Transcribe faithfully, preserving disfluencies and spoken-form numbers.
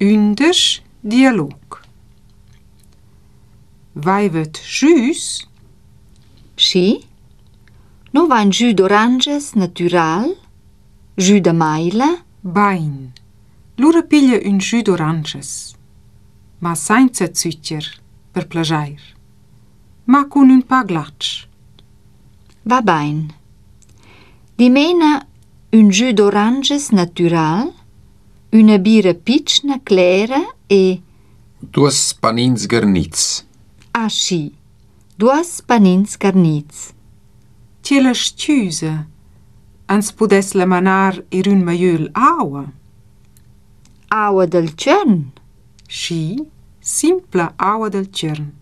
Unders dialog. Vaivet jus? Schi? No vain jus d'oranges natural? Jus de maila? Bain. Lura piglia un jus d'oranges. Ma senza zuccher, per plagiair. Ma con un pa glatsch. Va bain. Dimena un jus d'oranges natural, una bira pitschna clera e... Duas panins garnits. Ah, schi. Duas panins garnits. Tie la stüsa. Ans pudes la manar ir un maiul aua. Aua del Tschörn. Schi, simpla aua del Tschörn.